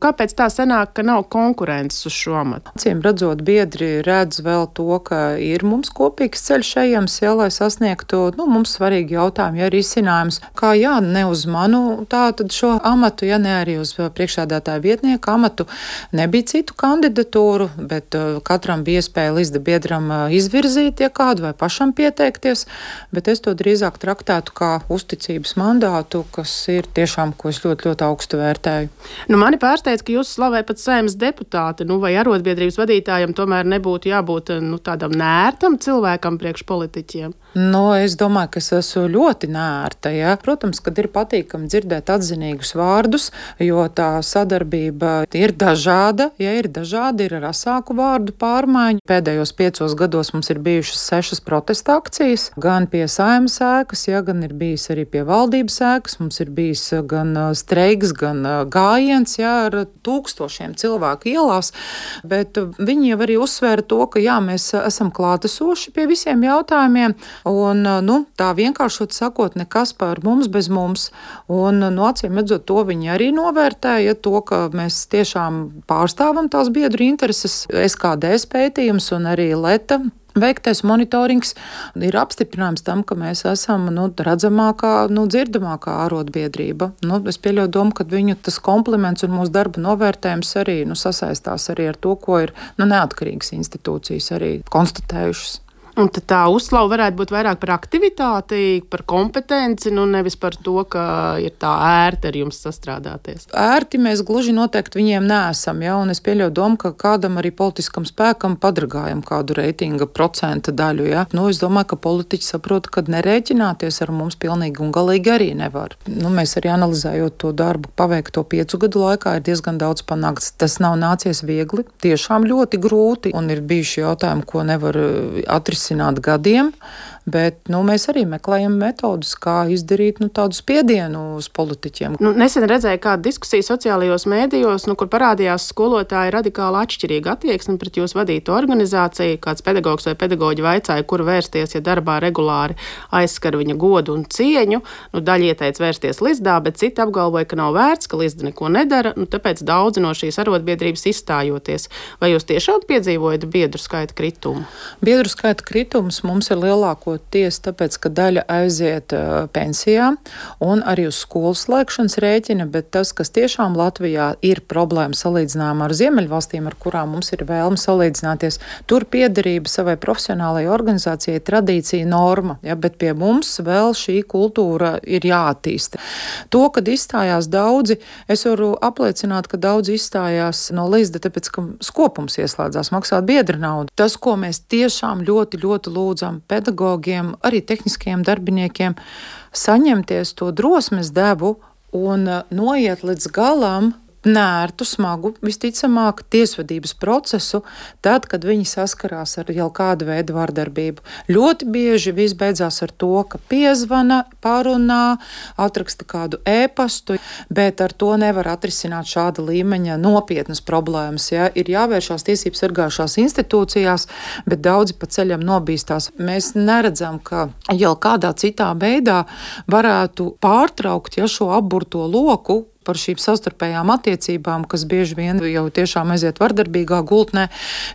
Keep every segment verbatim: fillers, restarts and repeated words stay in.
Kāpēc tā sanāk, ka nav konkurences uz šo amatu? Acīm redzot, biedri redz vēl to, ka ir mums kopīgs ceļš ejams, jā, lai sasniegtu, nu, mums svarīgi jautājumi, ja ir izcinājums, kā jā, ne uz manu tā tad šo amatu, ja ne arī uz priekšsēdētāja vietnieka amatu, nebija citu kandidatūru, bet uh, katram bija iespēja Lizda biedram uh, izvirzīt, ja kādu vai pašam pieteikties, bet es to drīzāk traktētu kā uzticības mandātu, kas ir tiešām, ko es ļoti, ļoti augstu vērtēju. Nu, mani pārsteidz, ka jūs slavē pat Saeimas deputāti, nu, vai arotbiedrības vadītājam tomēr nebūtu jābūt nu, tādam nērtam cilvēkam priekš politiķiem? Nu, es domāju, ka es esmu ļoti nērta. Ja? Protams, kad ir patīkami dzirdēt atzinīgus vārdus, jo tā sadarbība ir dažāda. Ja ir dažādi, ir ar asāku vārdu pārmaiņu. Pēdējos piecos gados mums ir bijušas sešas protesta akcijas, gan pie Saeimas ēkas, ja, gan ir bijis arī pie valdības ēkas. Mums ir bijis gan streiks, gan gājiens, ja, ar tūkstošiem cilvēku ielās, bet viņi jau arī uzsvēra to, ka jā, mēs esam klātesoši pie visiem jautājumiem. Un, nu, tā vienkāršot sakot, nekas par mums bez mums. Un, nu, acīm redzot, to viņi arī novērtēja, to, ka mēs tiešām pārstāvam tās biedru intereses. S K D pētījums un arī Leta veiktais monitorings ir apstiprinājums tam, ka mēs esam nu, redzamākā, nu, dzirdamākā arotbiedrība. Nu, es pieļauju domu, ka viņu tas kompliments un mūsu darba novērtējums arī nu, sasaistās arī ar to, ko ir nu, neatkarīgas institūcijas arī konstatējušas. Un tad tā uzslava varētu būt vairāk par aktivitāti, par kompetenci, nu nevis par to, ka ir tā ērti ar jums sastrādāties. Ērti mēs gluži noteikti viņiem neesam, ja, un es pieļauju domu, ka kādam arī politiskam spēkam padragājam kādu reitinga procenta daļu, ja. Nu, es domāju, ka politiķi saprot, ka nerēķināties ar mums pilnīgi un galīgi arī nevar. Nu, mēs arī analizējot to darbu paveikto piecu gadu laikā ir diezgan daudz panākts. Tas nav nācies viegli, tiešām ļoti grūti, un ir bijuši jautājumi, ko nevar atrisināt gadiem, bet nu, mēs arī meklējam metodus, kā izdarīt nu, tādu spiedienu uz politiķiem. Nu, nesen redzēju kādu diskusiju sociālajos mēdījos, nu, kur parādījās skolotāji radikāli atšķirīga attieksme pret jūsu vadīto organizāciju. Kāds pedagogs vai pedagoģi vaicāja, kur vērsties, ja darbā regulāri aizskar viņa godu un cieņu. Nu, daļa ieteica vērsties Lizdā, bet citi apgalvoja, ka nav vērts, ka Lizda neko nedara, nu, tāpēc daudzi no šīs arotbiedrības izstājoties. Vai jūs tiešām piedzīvojat biedru skaita kritumu? Biedru skaita kritums mums ir lielākoties tāpēc, ka daļa aiziet uh, pensijā un arī uz skolas slēgšanas rēķina, bet tas, kas tiešām Latvijā ir problēma salīdzinājumā ar Ziemeļvalstīm, ar kurām mums ir vēlme salīdzināties, tur piederība savai profesionālajai organizācijai tradīcija norma, ja, bet pie mums vēl šī kultūra ir jāattīsta. To, kad izstājās daudzi, es varu apliecināt, ka daudzi izstājās no Lizda, tāpēc, ka skopums ieslēdzās maksāt biedra naudu. Tas, ko mēs tiešām ļoti, ļoti lūdzam pedagogiem, arī tehniskajiem darbiniekiem, saņemties to drosmes devu un noiet līdz galam nērtu, smagu, visticamāk, tiesvedības procesu, tad, kad viņi saskarās ar jau kādu veidu vardarbību. Ļoti bieži viss beidzās ar to, ka piezvana, parunā, atraksta kādu ēpastu, bet ar to nevar atrisināt šāda līmeņa nopietnas problēmas. Ja? Ir jāvēršās tiesības sargājušās institūcijās, bet daudzi pa ceļam nobīstās. Mēs neredzam, ka jau kādā citā veidā varētu pārtraukt ja, šo apburto loku, par šīm savstarpējām attiecībām, kas bieži vien jau tiešām aiziet vardarbīgā gultnē,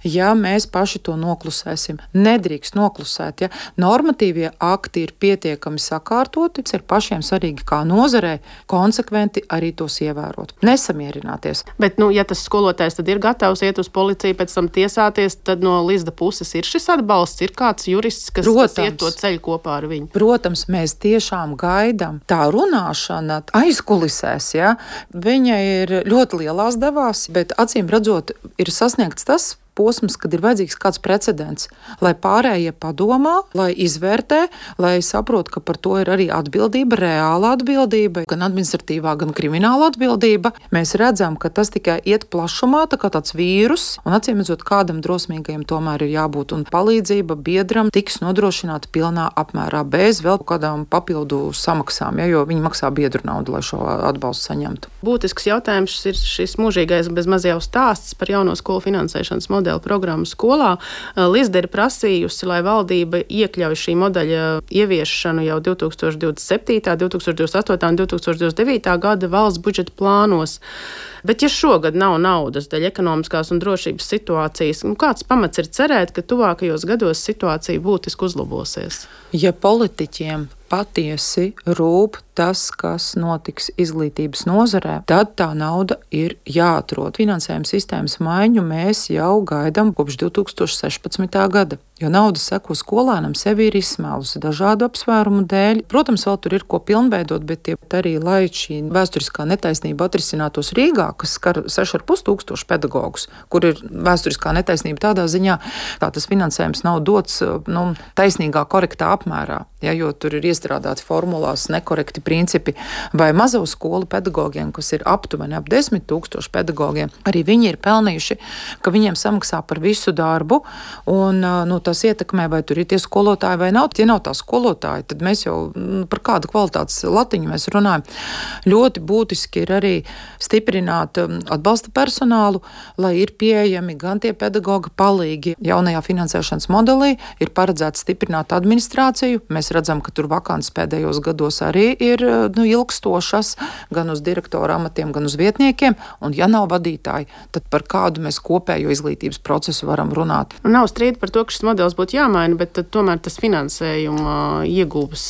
ja mēs paši to noklusēsim. Nedrīkst noklusēt, ja normatīvie akti ir pietiekami sakārtoti, ir pašiem svarīgi kā nozarei konsekventi arī tos ievērot. Nesamierināties. Bet, nu, ja tas skolotājs tad ir gatavs iet uz policiju, pēc tam tiesāties, tad no Lizda puses ir šis atbalsts, ir kāds jurists, kas, kas iet to ceļu kopā ar viņu? Protams, mēs tiešām gaidām. Tā runāšana aizkulisēs, ja, viņa ir ļoti lielās devās, bet acīm redzot, ir sasniegts tas posms, kad ir vajadzīgs kāds precedents, lai pārējie padomā, lai izvērtē, lai saprot, ka par to ir arī atbildība, reāla atbildība, gan administratīvā, gan krimināla atbildība. Mēs redzam, ka tas tikai iet plašumā, tā kā tāds vīrus, un acīm redzot, kādam drosmīgajam tomēr ir jābūt, un palīdzība biedram tiks nodrošināta pilnā apmērā, bez vēl kādām papildu samaksām, ja, jo viņi maksā biedru naudu, lai šo atbalstu saņemtu. Būtisks jautājums ir šis mūžīgais bez maz jau stāsts par jauno skolu finansēšanas modeli. modeļa programmu skolā. Lizde ir prasījusi, lai valdība iekļauj šī modeļa ieviešanu jau divtūkstoš divdesmit septītā, divtūkstoš divdesmit astotā un divtūkstoš divdesmit devītā gada valsts budžeta plānos. Bet, ja šogad nav naudas dēļ ekonomiskās un drošības situācijas, nu, kāds pamats ir cerēt, ka tuvākajos gados situācija būtiski uzlabosies? Ja politiķiem patiesi rūp tas, kas notiks izglītības nozarē, tad tā nauda ir jāatrod. Finansējuma sistēmas maiņu mēs jau gaidām kopš divtūkstoš sešpadsmitā gada, jo nauda seko skolēnam sevi ir izsmēlusi dažādu apsvērumu dēļ. Protams, vēl tur ir ko pilnveidot, bet tie arī, lai šī vēsturiskā netaisnība atrisinātos Rīgā, kas skar seši ar pus tūkstoši pedagogus, kur ir vēsturiskā netaisnība tādā ziņā, kā tas finansējums nav dots nu, taisnīgā, korektā apmērā, ja, jo tur ir iestrādāti formulās nekorekti principi, vai mazo skolu pedagogiem, kas ir aptuveni ap desmit tūkstoši pedagogiem, arī viņi ir pelnījuši, ka viņiem samaksā par visu darbu, un nu, tas ietekmē, vai tur ir tie skolotāji vai nav. Ja nav tā skolotāji, tad mēs jau nu, par kādu kvalitātes latiņu mēs runājam. Ļoti būtiski ir arī stiprināt atbalsta personālu, lai ir pieejami gan tie pedagoga palīgi. Jaunajā finansēšanas modelī ir paredzēts stiprināt administrāciju. Mēs redzam, ka tur vakants pēdējos gados arī ir nu, ilgstošas, gan uz direktora amatiem, gan uz vietniekiem, un ja nav vadītāji, tad par kādu mēs kopējo izglītības procesu varam runāt. Nav strīda par to, ka šis modelis būtu jāmaina, bet tomēr tas finansējuma iegūves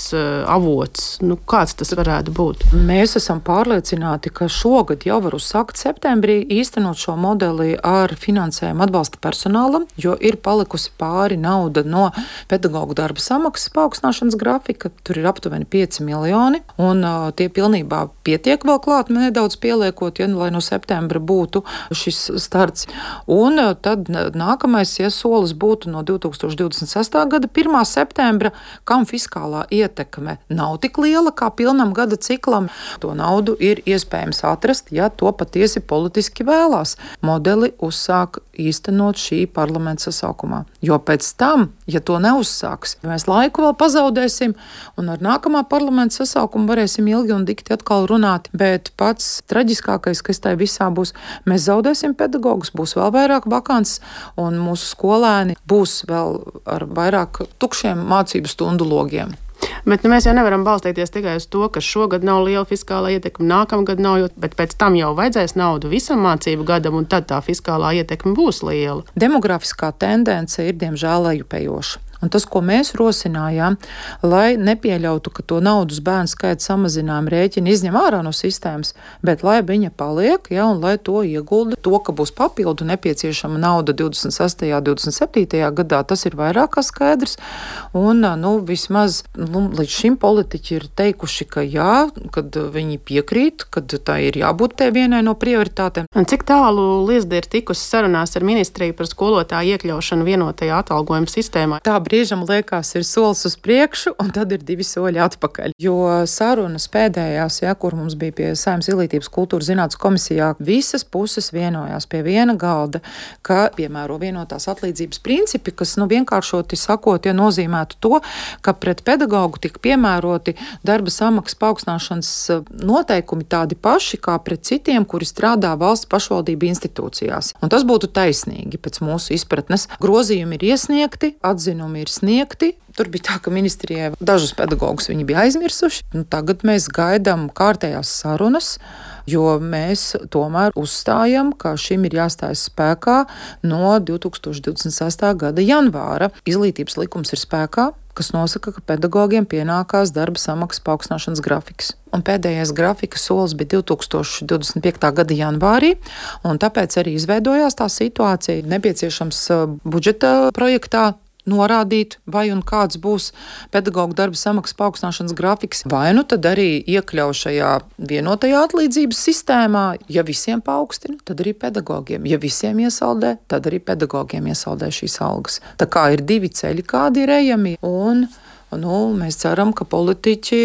avots, nu, kāds tas varētu būt? Mēs esam pārliecināti, ka šogad jau var uzsākt septembrī īstenot šo modeli ar finansējumu atbalsta personālam, jo ir palikusi pāri nauda no pedagogu darba samaksas paaugstināšanas grafika, tur ir aptuveni pieci miljoni, un uh, tie pilnībā pietiek vēl klāt, nedaudz pieliekot, ja, lai no septembra būtu šis starts. Un uh, tad nākamais ja, solis būtu no divtūkstoš divdesmit sestā gada pirmā septembra, kam fiskālā ietekme nav tik liela kā pilnam gada ciklam. To naudu ir iespējams atrast, ja to patiesi politiski vēlās. Modeli uzsāk īstenot šī parlamenta sasaukumā. Jo pēc tam, ja to neuzsāks, mēs laiku vēl pazaudēsim, un ar nākamā parlamenta sasaukumu varēsim ilgi un dikti atkal runāt, bet pats traģiskākais, kas tai visā būs, mēs zaudēsim pedagogus, būs vēl vairāk vakants, un mūsu skolēni būs vēl ar vairāk tukšiem mācību stundu logiem. Bet nu, mēs jau nevaram balstīties tikai uz to, ka šogad nav liela fiskālā ietekme, nākamgad nav, bet pēc tam jau vajadzēs naudu visam mācību gadam, un tad tā fiskālā ietekme būs liela. Demografiskā tendence ir diemžēl lejupējoša. Un tas, ko mēs rosinājām, lai nepieļautu, ka to naudas bērnu skaita samazinājumu rēķinu izņem ārā no sistēmas, bet lai viņa paliek, ja, un lai to iegulda, to, ka būs papildu nepieciešama nauda divdesmit sestajā, divdesmit septītajā gadā, tas ir vairāk kā skaidrs. Un, nu, vismaz nu, līdz šim politiķi ir teikuši, ka jā, kad viņi piekrīt, kad tā ir jābūt te vienai no prioritātēm. Un cik tālu Lizde ir tikusi sarunās ar ministriju par skolotāju iekļaušanu vienotajā atalgojuma sistēmā? Tā brīžam liekas ir solis uz priekšu, un tad ir divi soļi atpakaļ. Jo sarunas pēdējās, ja, kur mums bija pie Saeimas Izglītības kultūras zinātnes komisijā, visas puses vienojās pie viena galda, ka piemēro vienotās atlīdzības principi, kas nu, vienkāršoti sakot, ja nozīmētu to, ka pret pedagogu tik piemēroti darba samaksas paaugstināšanas noteikumi tādi paši kā pret citiem, kuri strādā valsts pašvaldību institūcijās. Un tas būtu taisnīgi pēc mūsu izpratnes. Grozījumi ir iesniegti, atzinumi ir sniegti. Tur bija tā, ka ministrijai dažus pedagogus viņi bija aizmirsuši. Nu, tagad mēs gaidām kārtējās sarunas, jo mēs tomēr uzstājam, ka šim ir jāstājas spēkā no divtūkstoš divdesmit sestā gada janvāra. Izglītības likums ir spēkā, kas nosaka, ka pedagogiem pienākās darba samaksas paaugstināšanas grafiks. Un pēdējais grafika solis bija divtūkstoš divdesmit piektā gada janvārī, un tāpēc arī izveidojās tā situācija. Nepieciešams budžeta projektā norādīt, vai un kāds būs pedagoģa darba samaksas paaugstināšanas grafiks, vai nu tad arī iekļauj šajā vienotajā atlīdzības sistēmā. Ja visiem paaugstina, tad arī pedagogiem. Ja visiem iesaldē, tad arī pedagogiem iesaldē šīs algas. Tā kā ir divi ceļi, kādi ir ejami, un nu, mēs ceram, ka politiķi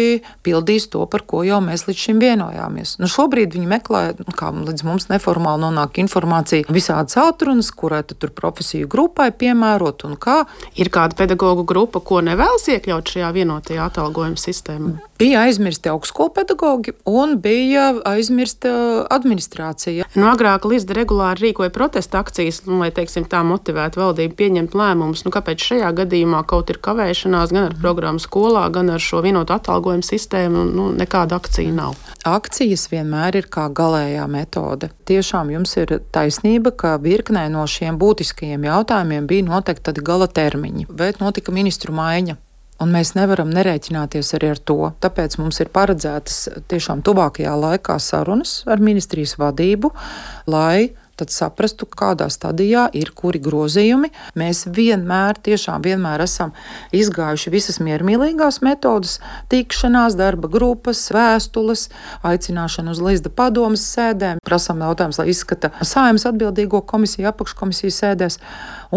pildīs to, par ko jau mēs līdz šim vienojāmies. Nu, šobrīd viņi meklē, kā līdz mums neformāli nonāk informācija, visādas atrunas, kurai tad tur profesiju grupai piemērot un kā. Ir kāda pedagoģu grupa, ko nevēlas iekļaut šajā vienotajā atalgojuma sistēmā? Bija aizmirsti augstskolu pedagogi un bija aizmirsta administrācija. Nu, agrāk Lizda regulāri rīkoja protesta akcijas, nu, lai, teiksim, tā motivētu valdību pieņemt lēmumus. Nu, kāpēc šajā gadījumā kaut ir kavēšanās gan ar programmu skolā, gan ar šo vienotu atalgojumu sistēmu? Nu, nekāda akcija nav. Akcijas vienmēr ir kā galējā metode. Tiešām jums ir taisnība, ka virknē no šiem būtiskajiem jautājumiem bija noteikti tādi gala termiņi, bet notika ministru maiņa. Un mēs nevaram nerēķināties arī ar to. Tāpēc mums ir paredzētas tiešām tuvākajā laikā sarunas ar ministrijas vadību, lai tad saprastu, kādā stadijā ir kuri grozījumi. Mēs vienmēr, tiešām vienmēr esam izgājuši visas miermīlīgās metodas, tikšanās, darba grupas, vēstules, aicināšanu uz Lizda padomes sēdēm, prasām jautājumus, lai izskata Saeimas atbildīgo komisiju, apakškomisiju sēdēs.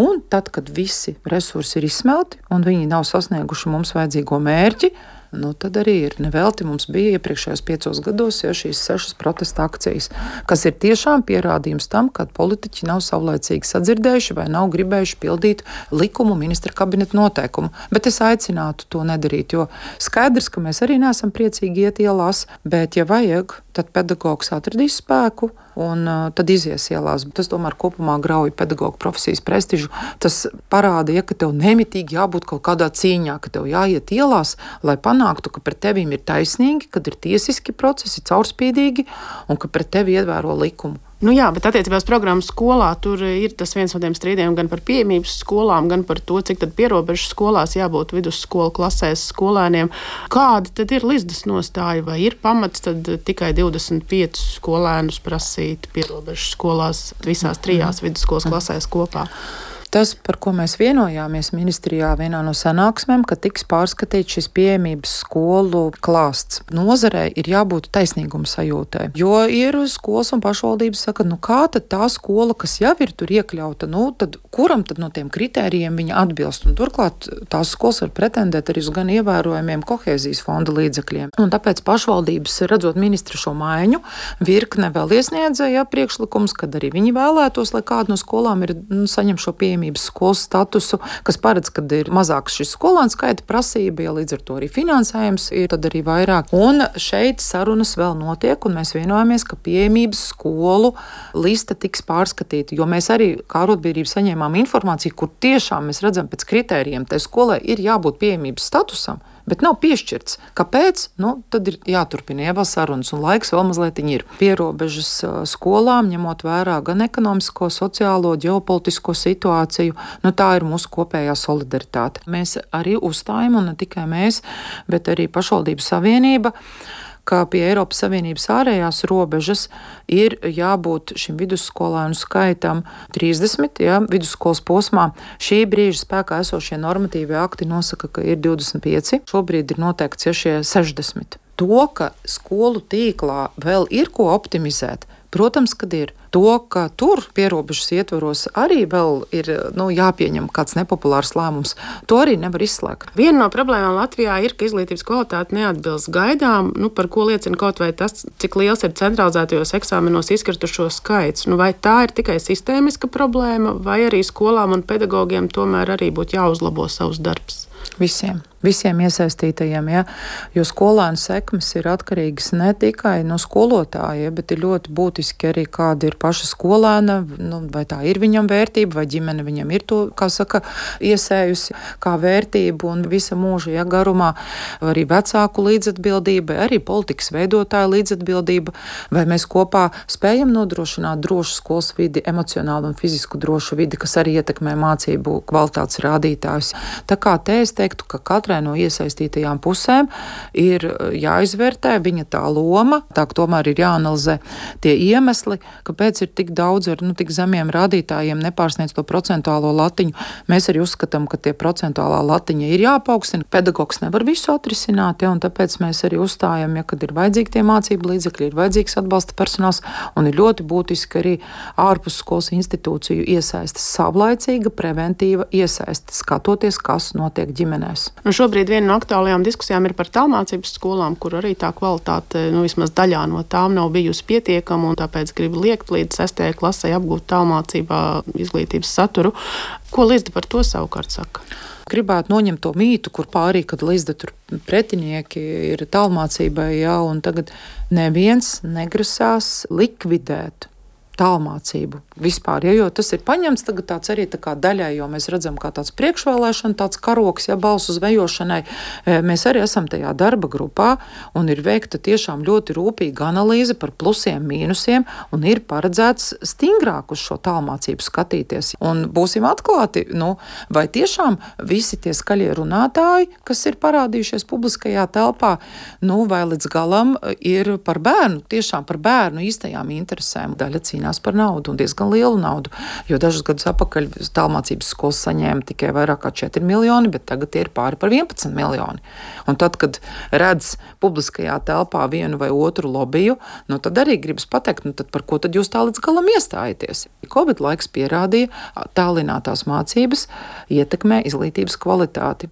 Un tad, kad visi resursi ir izsmelti un viņi nav sasnieguši mums vajadzīgo mērķi, nu, tad arī ir nevelti mums bija iepriekšējos piecos gados ja, šīs sešas protesta akcijas, kas ir tiešām pierādījums tam, ka politiķi nav savlaicīgi sadzirdējuši vai nav gribējuši pildīt likumu ministra kabineta noteikumu. Bet es aicinātu to nedarīt, jo skaidrs, ka mēs arī neesam priecīgi iet ielās, bet ja vajag, tad pedagogs atradīs spēku un uh, tad izies ielās. Tas tomēr kopumā grauj pedagogu profesijas prestižu. Tas parāda, ja, ka tev nemitīgi jābūt kaut kādā cīņā, ka tev jāiet ielās, lai panāktu, ka pret tevīm ir taisnīgi, kad ir tiesiski procesi, caurspīdīgi un ka pret tevi ievēro likumu. Nu jā, bet attiecībā uz programmu skolā tur ir tas viens no tiem strīdiem gan par pieejamības skolām, gan par to, cik tad pierobežu skolās jābūt vidusskolu klasēs skolēniem. Kāda tad ir Lizdas nostāja? Vai ir pamats tad tikai divdesmit piecus skolēnus prasīt pierobežu skolās visās trijās vidusskolas klasēs kopā? Tas, par ko mēs vienojāmies ministrijā vienā no sanāksmēm, ka tiks pārskatīts šis pieejamības skolu klāsts. Nozarei ir jābūt taisnīguma sajūtai, jo ir skolas un pašvaldības saka, nu kā tad tā skola, kas jau ir tur iekļauta, nu tad kuram tad no tiem kritērijiem viņa atbilst? Un turklāt tās skolas var pretendēt arī uz gan ievērojumiem kohēzijas fonda līdzekļiem. Un tāpēc pašvaldības, redzot ministru šo maiņu, virkne vēl iesniedzēja priekšlikums, kad arī viņi vēlētos, lai kāda no skolām ir nu, saņem šo pieejamību skolas statusu, kas paredz, kad ir mazāks šis skolēnu skaita prasība, ja līdz ar to arī finansējums ir tad arī vairāk. Un šeit sarunas vēl notiek, un mēs vienojamies, ka pieejamības skolu lista tiks pārskatīta, jo mēs arī kā arotbiedrība saņēmām informāciju, kur tiešām mēs redzam pēc kritērijiem, tai skolai ir jābūt pieejamības statusam, bet nav piešķirts. Kāpēc? Nu, tad ir jāturpina vēl sarunas, un laiks vēl mazliet ir. Pierobežas skolām, ņemot vērā gan ekonomisko, sociālo, ģeopolitisko situāciju, nu tā ir mūsu kopējā solidaritāte. Mēs arī uzstājam, un ne tikai mēs, bet arī pašvaldību savienība, ka pie Eiropas Savienības ārējās robežas ir jābūt šim vidusskolēnu skaitam trīsdesmit, ja, vidusskolas posmā. Šī brīža spēkā esošie normatīvie akti nosaka, ka ir divdesmit pieci, šobrīd ir noteikts ja šie sešdesmit. To, ka skolu tīklā vēl ir ko optimizēt, protams, kad ir. To, ka tur pierobežas ietvaros arī vēl ir nu, jāpieņem kāds nepopulārs lēmums, to arī nevar izslēgt. Viena no problēmām Latvijā ir, ka izglītības kvalitāte neatbilst gaidām, nu, par ko liecina kaut vai tas, cik liels ir centralizētajos eksāmenos izkritušo skaits. Nu, vai tā ir tikai sistēmiska problēma, vai arī skolām un pedagogiem tomēr arī būtu jāuzlabo savus darbs? Visiem. Visiem iesaistītajiem, ja, jo skolēnu sekmes ir atkarīgas ne tikai no skolotāja, bet ir ļoti būtiski arī kāda ir paša skolēna, nu, vai tā ir viņam vērtība, vai ģimene viņam ir to, kā saka, iesējusi kā vērtību un visa mūža ja, garumā, arī vecāku līdzatbildība, arī politikas veidotāja līdzatbildība, vai mēs kopā spējam nodrošināt drošu skolas vidi, emocionālu un fizisku drošu vidi, kas arī ietekmē mācību kvalitātes rādītājus. Tā kā te es teiktu, ka katrai no iesaistītajām pusēm ir jāizvērtē viņa tā loma, tā ka tomēr ir jāanalizē tie iemesli, kāpēc ir tik daudz ar nu, tik zemiem rādītājiem nepārsniedz to procentuālo latiņu. Mēs arī uzskatām, ka tie procentuālā latiņa ir jāpaukstina. Pedagogs nevar visu atrisināt, ja, un tāpēc mēs arī uzstājam, ja, kad ir vajadzīgi tie mācību līdzekļi, ir vajadzīgs atbalsta personāls, un ir ļoti būtiski arī ārpus skolas institūciju iesaistas savlaicīga, preventīva iesaistas, skatoties, kas notiek ģimenēs. Nu, šobrīd viena no aktuālajām diskusijām ir par tālmācības skolām, kur arī tā kvalitāte, nu, vismaz daļā no tām nav bijusi pietiekama, un tāpēc grib liekt līdz sestajai klasei apgūt tālmācībā izglītības saturu. Ko Lizda par to savukārt saka? gribētu noņemt to mītu, kur pārī, kad līdz tur pretinieki ir tālmācībai, jā, un tagad neviens negrasās likvidēt tālmācību vispār, ja, jo tas ir paņemts tagad tāds arī tā kā daļai, jo mēs redzam kā tāds priekšvēlēšana, tāds karoks, ja, balsu zvejošanai. Mēs arī esam tajā darba grupā un ir veikta tiešām ļoti rūpīga analīze par plusiem, mīnusiem un ir paredzēts stingrāk uz šo tālmācību skatīties. Un būsim atklāti, nu, vai tiešām visi tie skaļie runātāji, kas ir parādījušies publiskajā telpā, nu, vai līdz galam ir par bērnu, tiešām par bērnu īstajām interesēm. Daļa cīnās par naudu un diezgan lielu naudu, jo dažus gadus atpakaļ tālmācības skolas saņēma tikai vairāk kā četri miljoni, bet tagad tie ir pāri par vienpadsmit miljoni. Un tad, kad redz publiskajā telpā vienu vai otru lobiju, nu tad arī gribas pateikt, nu tad par ko tad jūs tā līdz galam iestājaties? Covid laiks pierādīja, tālinātās mācības ietekmē izglītības kvalitāti.